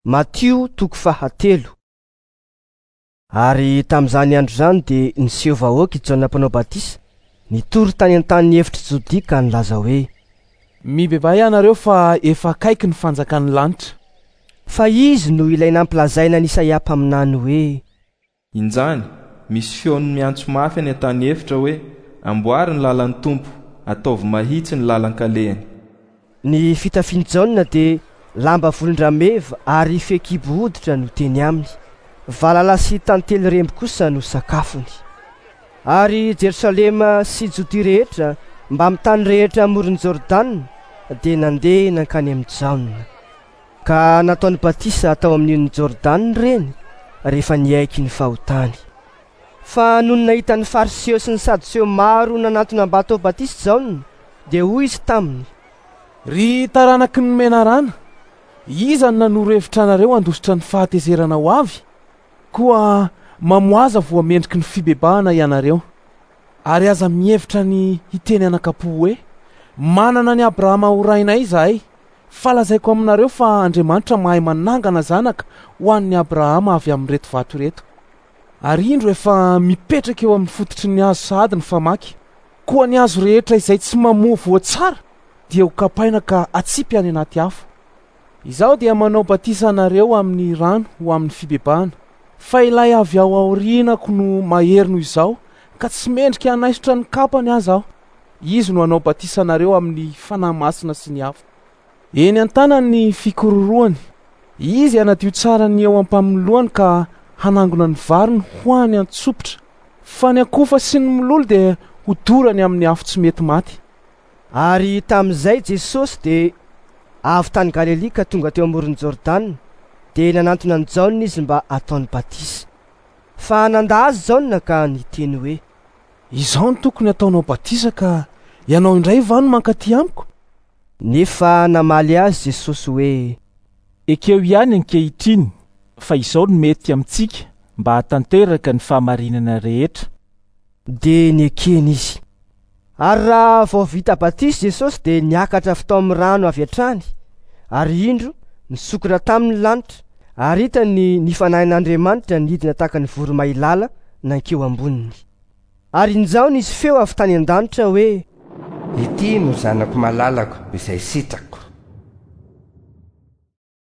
Matio toko fahatelo. Ary tamin'izany andro izany dia niseho vahoaka i Jaona Mpanao Batisa, nitory tany an-tanin'ny efitr'i Jodia ka nilaza hoe: Mibebaha ianareo fa efa akaiky ny fanjakan'ny lanitra. Fa izy no ilay nampilazaina an'i Isaia mpaminany hoe: Injany, misy feon'ny miantso mafy any an-tany efitra hoe, Amboary ny lalan'ny Tompo, ataovy mahitsy ny lalan-kalehany. Ny fitafian'i Jaona dia lamba volon-drameva ary fehikibo hoditra no teny aminy. Valala sy tantely remby kosa no sakafony. Ary Jerosalema sy Jodia rehetra mbamin'ny tany rehetra amoron'i Jordana dia nandeha nankany amin'i Jaona. Ka nataony batisa tao amin'ny onin'i Jordana ireny rehefa niaiky ny fahotany. Fa nony nahita ny Fariseo sy ny Sadoseo maro nanantona mba hatao batisa Jaona, dia hoy izy taminy, Ry taranaky ny menarana, iza no nanoro hevitra anareo handositra ny fahatezerana ho avy? Koa mamoaza voa mendriky ny fibebahana ianareo. Ary aza mihevitra ny hiteny anakam-po hoe, Manana an'i Abrahama ho rainay izahay. Fa lazaiko aminareo fa Andriamanitra mahay manangana zanaka ho an'i Abrahama avy amin'ireto vato ireto. Ary indro efa mipetraka eo amin'ny fototry ny hazo sahady ny famaky. Koa ny hazo rehetra izay tsy mamoa voa tsara dia ho kapaina ka atsipy any anaty afo. Izaho dia manao batisa anareo amin'ny rano ho amin'ny fibebahana, fa ilay avy ao aorianako no mahery noho izaho, ka tsy mendrika hanaisotra ny kapany aza aho. Izy no hanao batisa anareo amin'ny Fanahy Masina sy ny afo. Eny an-tanany ny fikororohany. Izy hanadio tsara ny eo am-pamoloany ka hanangona ny variny ho any an-tsopitra. Fa ny akofa sy ny mololo dia hodorany amin'ny afo tsy mety maty. Ary tamin'izay Jesosy dia avy tany Galilia ka tonga teo amoron'i Jordana, dia nanantona an'i Jaona izy mba hataony batisa. Fa nandà azy Jaona ka niteny hoe. Izaho no tokony hataonao batisa ka ianao indray va no mankaty amiko? Nefa namaly azy Jesosy hoe. Ekeo ihany ankehitriny fa izao no mety amintsika mba hahatanteraka ny fahamarinana rehetra. Dia nekeny izy. Ary raha vao vita batisa Jesosy dia niakatra avy tao amin'ny rano avy hatrany, ary indro, nisokatra taminy ny lanitra, ary hitany ny Fanahin'Andriamanitra nidina tahaka ny voromailala nankeo amboniny. Ary injao nisy feo avy tany an-danitra hoe. Ity no Zanako malalako, izay sitrako.